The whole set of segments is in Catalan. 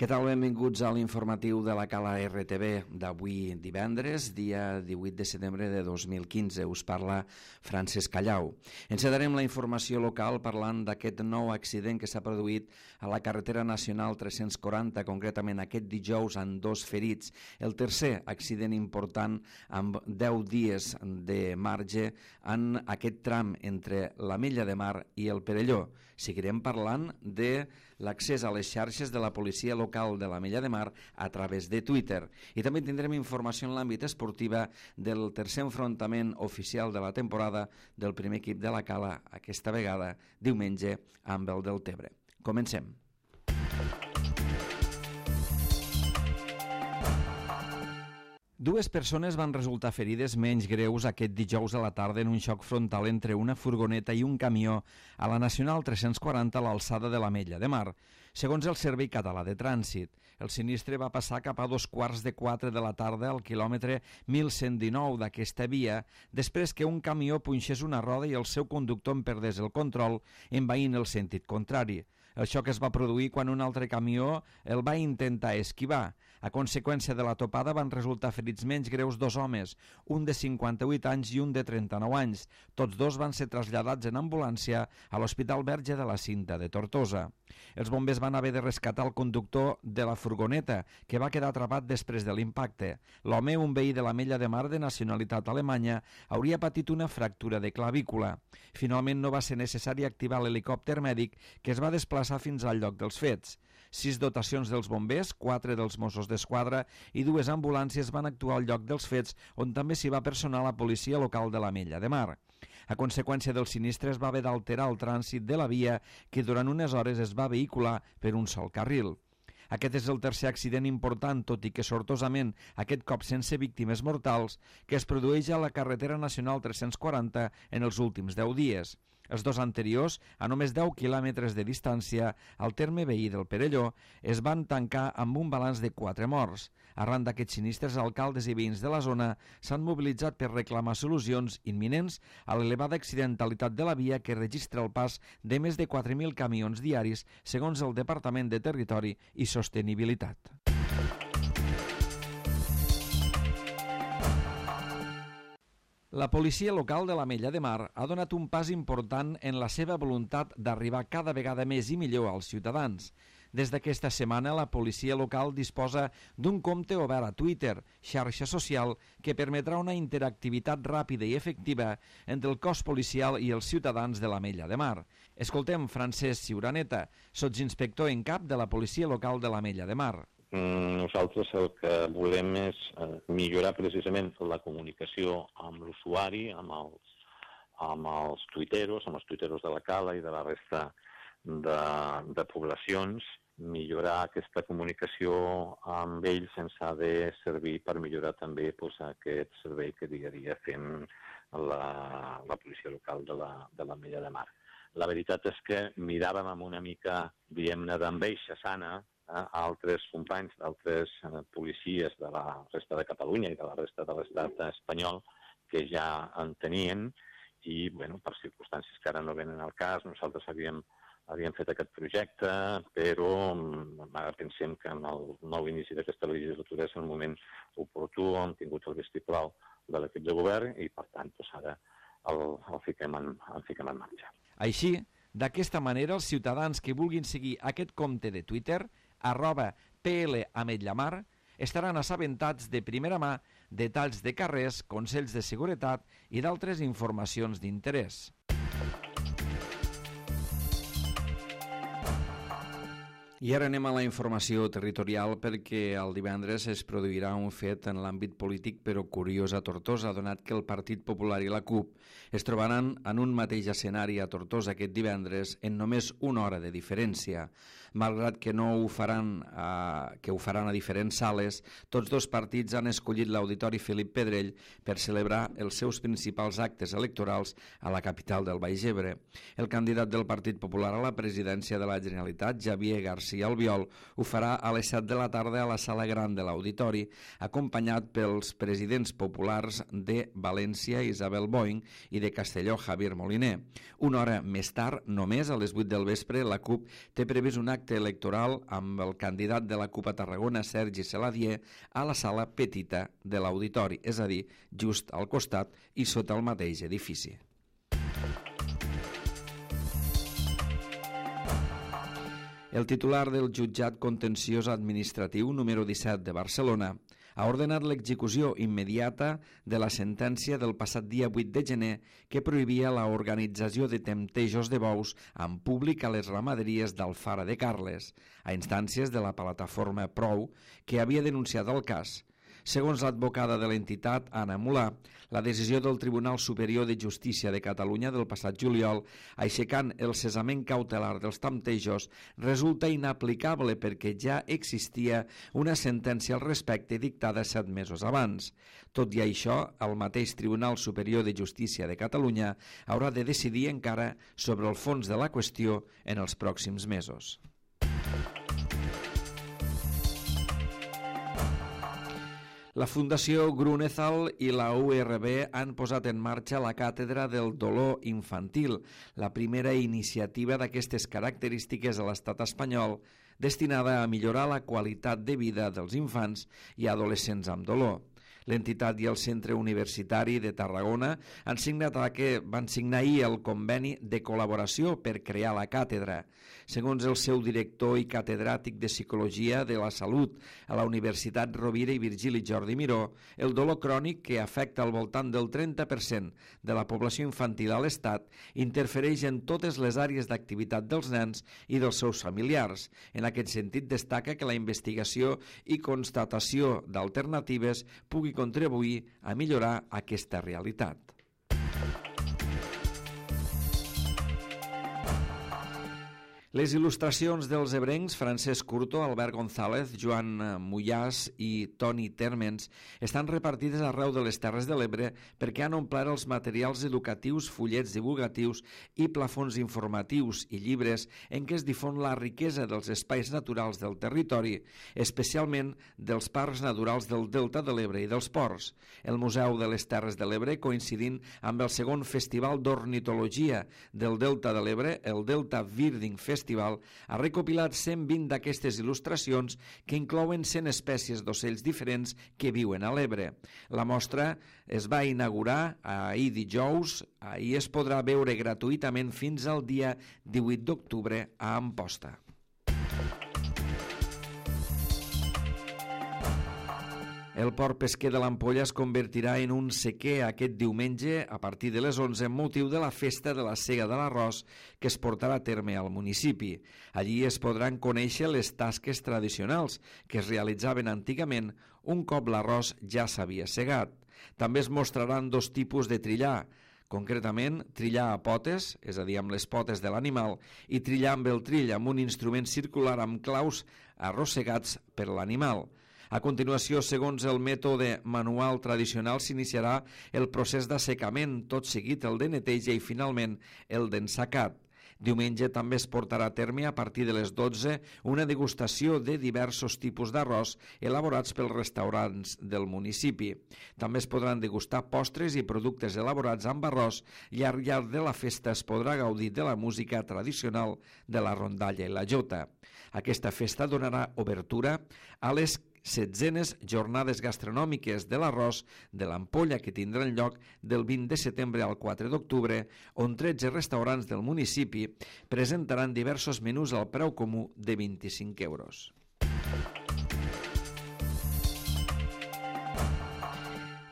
Què tal? Benvinguts a l'informatiu de la Cala RTV d'avui divendres, dia 18 de setembre de 2015. Us parla Francesc Callau. Encetarem la informació local parlant d'aquest nou accident que s'ha produït a la carretera nacional 340, concretament aquest dijous, amb 2 ferits. El tercer accident important amb 10 dies de marge en aquest tram entre l'Ametlla de Mar i el Perelló. Seguirem parlant de l'accés a les xarxes de la policia local de l'Ametlla de Mar a través de Twitter. I també tindrem informació en l'àmbit esportiva del tercer enfrontament oficial de la temporada del primer equip de la Cala, aquesta vegada diumenge amb el Deltebre. Comencem. Dues persones van resultar ferides menys greus aquest dijous a la tarda en un xoc frontal entre una furgoneta i un camió a la Nacional 340 a l'alçada de l'Ametlla de Mar. Segons el Servei Català de Trànsit, el sinistre va passar cap a 3:15 de la tarda al quilòmetre 1119 d'aquesta via, després que un camió punxés una roda i el seu conductor en perdés el control, envaint el sentit contrari. El xoc es va produir quan un altre camió el va intentar esquivar. A conseqüència de la topada van resultar ferits menys greus 2 homes, un de 58 anys i un de 39 anys. Tots dos van ser traslladats en ambulància a l'Hospital Verge de la Cinta de Tortosa. Els bombers van haver de rescatar el conductor de la furgoneta, que va quedar atrapat després de l'impacte. L'home, un veí de l'Ametlla de Mar de nacionalitat alemanya, hauria patit una fractura de clavícula. Finalment no va ser necessari activar l'helicòpter mèdic, que es va desplaçar fins al lloc dels fets. 6 dotacions dels bombers, 4 dels Mossos d'Esquadra i 2 ambulàncies van actuar al lloc dels fets, on també s'hi va personar la policia local de l'Ametlla de Mar. A conseqüència del sinistre es va haver d'alterar el trànsit de la via, que durant unes hores es va vehicular per un sol carril. Aquest és el tercer accident important, tot i que sortosament, aquest cop sense víctimes mortals, que es produeix a la carretera nacional 340 en els últims 10 dies. Els 2 anteriors, a només 10 quilòmetres de distància, al terme veí del Perelló, es van tancar amb un balanç de 4 morts. Arran d'aquests sinistres, alcaldes i veïns de la zona s'han mobilitzat per reclamar solucions imminents a l'elevada accidentalitat de la via, que registra el pas de més de 4.000 camions diaris, segons el Departament de Territori i Sostenibilitat. La policia local de l'Ametlla de Mar ha donat un pas important en la seva voluntat d'arribar cada vegada més i millor als ciutadans. Des d'aquesta setmana, la policia local disposa d'un compte obert a Twitter, xarxa social, que permetrà una interactivitat ràpida i efectiva entre el cos policial i els ciutadans de l'Ametlla de Mar. Escoltem Francesc Ciuraneta, sotsinspector en cap de la policia local de l'Ametlla de Mar. Nosaltres el que volem és millorar precisament la comunicació amb l'usuari, amb els tuiteros de la Cala i de la resta de poblacions, millorar aquesta comunicació amb ells ens ha de servir per millorar també aquest servei que dia a dia fem la policia local de l'Ametlla de Mar. La veritat és que miràvem amb una mica, diguem-ne, d'enveja sana altres companys, d'altres policies de la resta de Catalunya i de la resta de l'estat espanyol que ja en tenien i, bueno, per circumstàncies que ara no venen al cas, nosaltres havíem fet aquest projecte, però ara pensem que en el nou inici d'aquesta legislatura és el moment oportú, hem tingut el vistiplau de l'equip de govern i, per tant, ara el fiquem en marxa. Així, d'aquesta manera, els ciutadans que vulguin seguir aquest compte de Twitter, @PLAmetllaMar, estaran assabentats de primera mà detalls de carrers, consells de seguretat i d'altres informacions d'interès. I ara anem a la informació territorial perquè el divendres es produirà un fet en l'àmbit polític però curiós a Tortosa, donat que el Partit Popular i la CUP es trobaran en un mateix escenari a Tortosa aquest divendres en només una hora de diferència. Malgrat que ho faran a diferents sales, tots dos partits han escollit l'Auditori Felip Pedrell per celebrar els seus principals actes electorals a la capital del Baix Ebre. El candidat del Partit Popular a la presidència de la Generalitat, Javier García Albiol, ho farà a les 7 de la tarda a la sala gran de l'Auditori, acompanyat pels presidents populars de València, Isabel Boing, i de Castelló, Javier Moliner. Una hora més tard, només a les 8 del vespre, la CUP té previst un acte acte electoral amb el candidat de la CUP a Tarragona, Sergi Saladier, a la sala petita de l'auditori, és a dir, just al costat i sota el mateix edifici. El titular del jutjat contenciós administratiu número 17 de Barcelona ha ordenat l'execució immediata de la sentència del passat dia 8 de gener que prohibia l'organització de temptejos de bous en públic a les ramaderies d'Alfara de Carles, a instàncies de la plataforma Prou, que havia denunciat el cas. Segons l'advocada de l'entitat, Anna Mulà, la decisió del Tribunal Superior de Justícia de Catalunya del passat juliol, aixecant el cessament cautelar dels temptejos, resulta inaplicable perquè ja existia una sentència al respecte dictada 7 mesos abans. Tot i això, el mateix Tribunal Superior de Justícia de Catalunya haurà de decidir encara sobre el fons de la qüestió en els pròxims mesos. La Fundació Grunethal i la URB han posat en marxa la Càtedra del Dolor Infantil, la primera iniciativa d'aquestes característiques a l'estat espanyol destinada a millorar la qualitat de vida dels infants i adolescents amb dolor. L'entitat i el Centre Universitari de Tarragona van signar ahir el conveni de col·laboració per crear la càtedra. Segons el seu director i catedràtic de Psicologia de la Salut a la Universitat Rovira i Virgili Jordi Miró, el dolor crònic, que afecta al voltant del 30% de la població infantil a l'Estat, interfereix en totes les àrees d'activitat dels nens i dels seus familiars. En aquest sentit, destaca que la investigació i constatació d'alternatives pugui contribuir a millorar aquesta realitat. Les il·lustracions dels ebrencs Francesc Curto, Albert González, Joan Mullàs i Toni Térmens estan repartides arreu de les Terres de l'Ebre perquè han omplert els materials educatius, fullets divulgatius i plafons informatius i llibres en què es difon la riquesa dels espais naturals del territori, especialment dels parcs naturals del Delta de l'Ebre i dels ports. El Museu de les Terres de l'Ebre, coincidint amb el segon Festival d'Ornitologia del Delta de l'Ebre, el Delta Birding Festival, ha recopilat 120 d'aquestes il·lustracions que inclouen 100 espècies d'ocells diferents que viuen a l'Ebre. La mostra es va inaugurar ahir dijous i es podrà veure gratuïtament fins al dia 18 d'octubre a Amposta. El port pesquer de l'Ampolla es convertirà en un sequer aquest diumenge a partir de les 11 amb motiu de la festa de la Sega de l'Arròs que es portarà a terme al municipi. Allí es podran conèixer les tasques tradicionals que es realitzaven antigament un cop l'arròs ja s'havia segat. També es mostraran 2 tipus de trillar, concretament trillar a potes, és a dir, amb les potes de l'animal, i trillar amb el trill, amb un instrument circular amb claus arrossegats per l'animal. A continuació, segons el mètode manual tradicional, s'iniciarà el procés d'assecament, tot seguit el de neteja i finalment el d'ensacat. Diumenge també es portarà a terme a partir de les 12 una degustació de diversos tipus d'arròs elaborats pels restaurants del municipi. També es podran degustar postres i productes elaborats amb arròs i al llarg de la festa es podrà gaudir de la música tradicional de la rondalla i la jota. Aquesta festa donarà obertura a les 16enes jornades gastronòmiques de l'arròs de l'Ampolla que tindran lloc del 20 de setembre al 4 d'octubre, on 13 restaurants del municipi presentaran diversos menús al preu comú de 25 euros.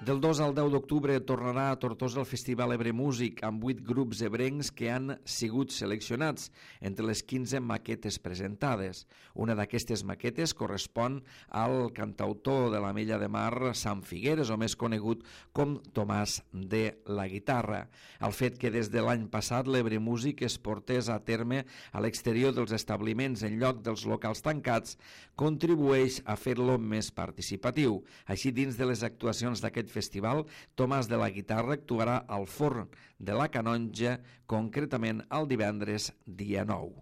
Del 2 al 10 d'octubre tornarà a Tortosa el Festival Ebre Músic amb 8 grups ebrencs que han sigut seleccionats entre les 15 maquetes presentades. Una d'aquestes maquetes correspon al cantautor de l'Ametlla de Mar, Sant Figueres, o més conegut com Tomàs de la Guitarra. El fet que des de l'any passat l'Ebre Músic es portés a terme a l'exterior dels establiments en lloc dels locals tancats contribueix a fer-lo més participatiu. Així, dins de les actuacions d'aquest festival, Tomàs de la Guitarra actuarà al Forn de la Canonja, concretament el divendres dia 9.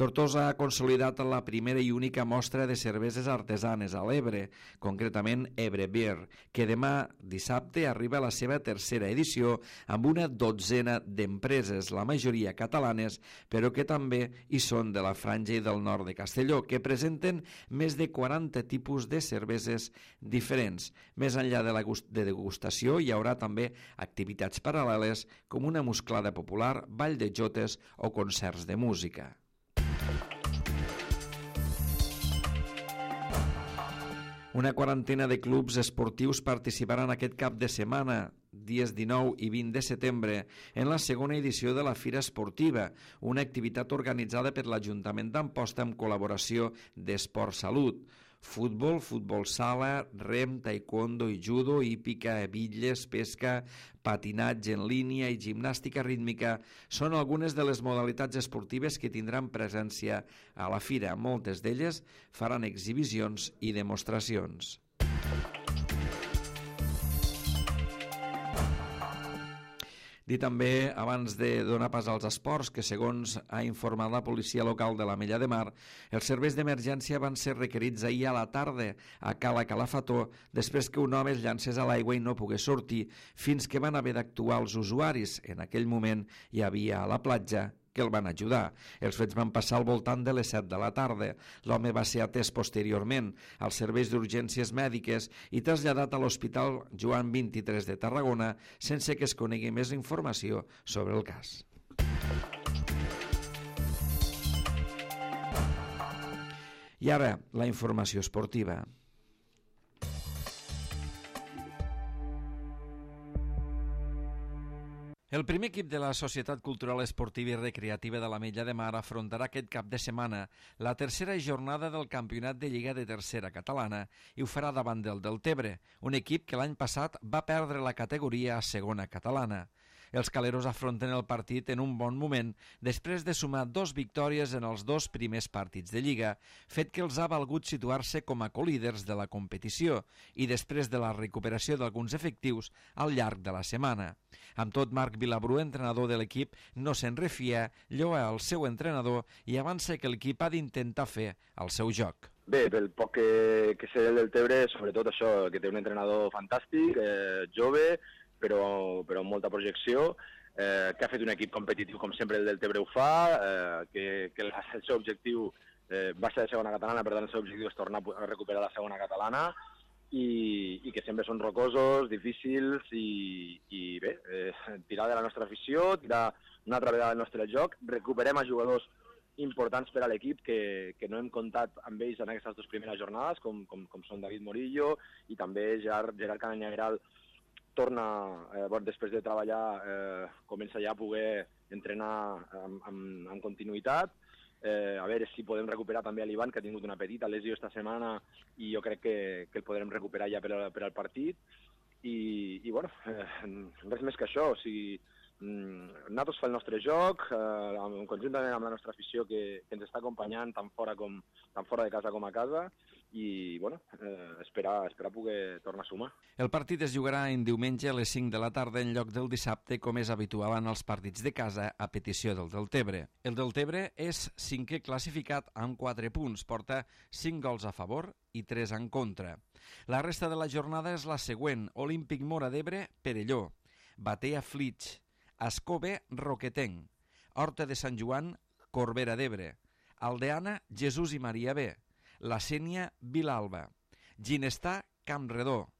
Tortosa ha consolidat la primera i única mostra de cerveses artesanes a l'Ebre, concretament Ebre Beer, que demà dissabte arriba a la seva tercera edició amb una dotzena d'empreses, la majoria catalanes, però que també hi són de la Franja i del nord de Castelló, que presenten més de 40 tipus de cerveses diferents. Més enllà de la degustació hi haurà també activitats paral·leles com una musclada popular, ball de jotes o concerts de música. Una quarantena de clubs esportius participaran aquest cap de setmana, dies 19 i 20 de setembre, en la segona edició de la Fira Esportiva, una activitat organitzada per l'Ajuntament d'Amposta amb col·laboració d'Esport Salut. Futbol, futbol sala, rem, taekwondo i judo, hípica, bitlles, pesca, patinatge en línia i gimnàstica rítmica són algunes de les modalitats esportives que tindran presència a la fira. Moltes d'elles faran exhibicions i demostracions. Dir també, abans de donar pas als esports, que segons ha informat la policia local de l'Ametlla de Mar, els serveis d'emergència van ser requerits ahir a la tarda a Cala Calafató després que un home es llancés a l'aigua i no pogués sortir, fins que van haver d'actuar els usuaris. En aquell moment hi havia a la platja que el van ajudar. Els fets van passar al voltant de les 7 de la tarda. L'home va ser atès posteriorment als serveis d'urgències mèdiques i traslladat a l'Hospital Joan 23 de Tarragona sense que es conegui més informació sobre el cas. I ara, la informació esportiva. El primer equip de la Societat Cultural Esportiva i Recreativa de l'Ametlla de Mar afrontarà aquest cap de setmana la tercera jornada del Campionat de Lliga de Tercera Catalana i ho farà davant del Deltebre, un equip que l'any passat va perdre la categoria a Segona Catalana. Els caleros afronten el partit en un bon moment després de sumar 2 victòries en els 2 primers partits de Lliga, fet que els ha valgut situar-se com a colíders de la competició i després de la recuperació d'alguns efectius al llarg de la setmana. Amb tot, Marc Vilabrú, entrenador de l'equip, no se'n refia, lloa el seu entrenador i avança que l'equip ha d'intentar fer el seu joc. Bé, pel poc que sé del Deltebre, sobretot això, que té un entrenador fantàstic, jove, però amb molta projecció, que ha fet un equip competitiu com sempre el Deltebre ho fa, que el seu objectiu va ser de Segona Catalana, per tant el seu objectiu és tornar a recuperar la Segona Catalana i que sempre són rocosos, difícils i bé, tirar de la nostra afició, tirar una altra vegada del nostre joc, recuperem a jugadors importants per a l'equip que no hem comptat amb ells en aquestes 2 primeres jornades, com són David Morillo i també Gerard Cananyageral torna, després de treballar, comença ja a poder entrenar amb continuïtat. A veure si podem recuperar també l'Ivan, que ha tingut una petita lesió esta setmana i jo crec que el podrem recuperar ja per al partit. I bueno, res més que això. O sigui, nosaltres fa el nostre joc, conjuntament amb la nostra afició que ens està acompanyant tant fora de casa com a casa, i bueno, esperar poder tornar a sumar. El partit es jugarà en diumenge a les 5 de la tarda en lloc del dissabte, com és habitual en els partits de casa a petició del Deltebre. El Deltebre és 5è classificat amb 4 punts, porta 5 gols a favor i 3 en contra. La resta de la jornada és la següent: Olímpic Móra d'Ebre, Perelló; Batea Flix, Ascove, Roquetenc; Horta de Sant Joan, Corbera d'Ebre; Aldeana, Jesús i Maria B; La Sénia, Vilalba; Ginestar, Campredó;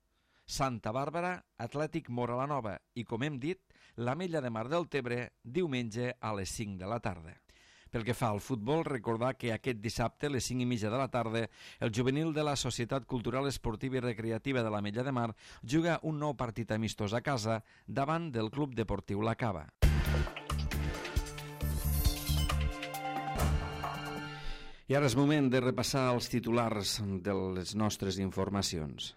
Santa Bàrbara, Atlètic Móra la Nova i, com hem dit, l'Ametlla de Mar del Tebre, diumenge a les 5 de la tarda. Pel que fa al futbol, recordar que aquest dissabte a les 5:30 de la tarda el juvenil de la Societat Cultural Esportiva i Recreativa de l'Ametlla de Mar juga un nou partit amistós a casa davant del Club Deportiu La Cava. I ara és moment de repassar els titulars de les nostres informacions.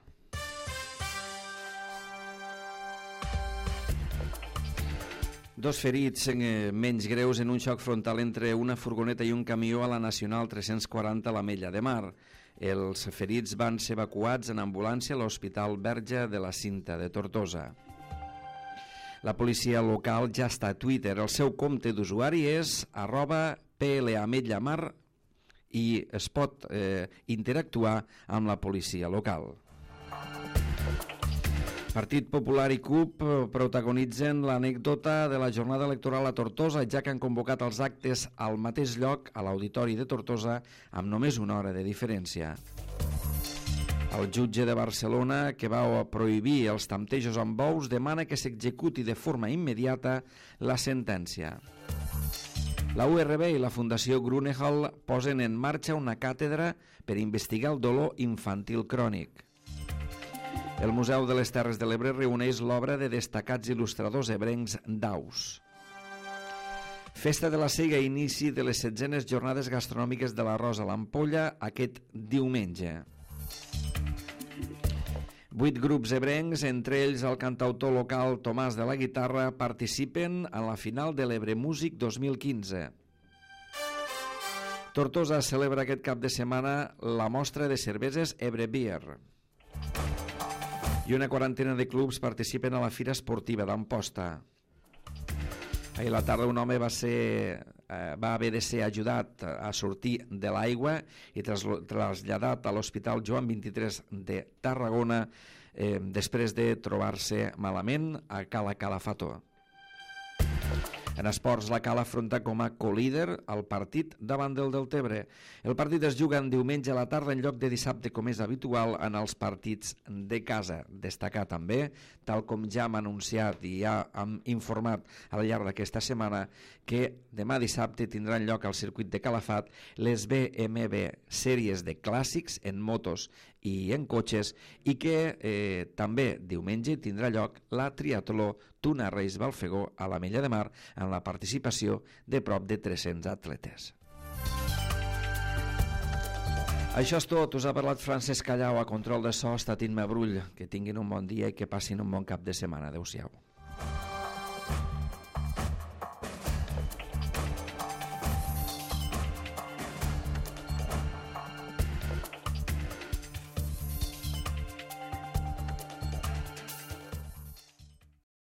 Dos ferits menys greus en un xoc frontal entre una furgoneta i un camió a la Nacional 340 a l'Ametlla de Mar. Els ferits van ser evacuats en ambulància a l'Hospital Verge de la Cinta de Tortosa. La policia local ja està a Twitter. El seu compte d'usuari és PLA Ametlla Mar i es pot interactuar amb la policia local. Partit Popular i CUP protagonitzen l'anècdota de la jornada electoral a Tortosa, ja que han convocat els actes al mateix lloc, a l'Auditori de Tortosa, amb només una hora de diferència. El jutge de Barcelona, que va prohibir els temptejos amb bous, demana que s'executi de forma immediata la sentència. La URB i la Fundació Grunehall posen en marxa una càtedra per investigar el dolor infantil crònic. El Museu de les Terres de l'Ebre reuneix l'obra de destacats il·lustradors ebrencs d'aus. Festa de la Sega, inici de les 16enes jornades gastronòmiques de l'arròs a l'Ampolla aquest diumenge. 8 grups ebrencs, entre ells el cantautor local Tomàs de la Guitarra, participen en la final de l'Ebre Músic 2015. Tortosa celebra aquest cap de setmana la mostra de cerveses Ebre Beer. I una quarantena de clubs participen a la Fira Esportiva d'Amposta. Ahir a la tarda un home va haver de ser ajudat a sortir de l'aigua i traslladat a l'Hospital Joan 23 de Tarragona després de trobar-se malament a Cala Calafato. En esports, la Cala afronta com a colíder el partit davant del Deltebre. El partit es juga en diumenge a la tarda en lloc de dissabte, com és habitual en els partits de casa. Destacar també, tal com ja hem anunciat i ja hem informat al llarg d'aquesta setmana, que demà dissabte tindran lloc al circuit de Calafat les BMB sèries de clàssics en motos i en cotxes, i que també diumenge tindrà lloc la triatló Tuna Reis Balfegó a l'Ametlla de Mar, amb la participació de prop de 300 atletes. Això és tot. Us ha parlat Francesc Callau. A control de so ha estat Imma Brull. Que tinguin un bon dia i que passin un bon cap de setmana. Adéu-siau.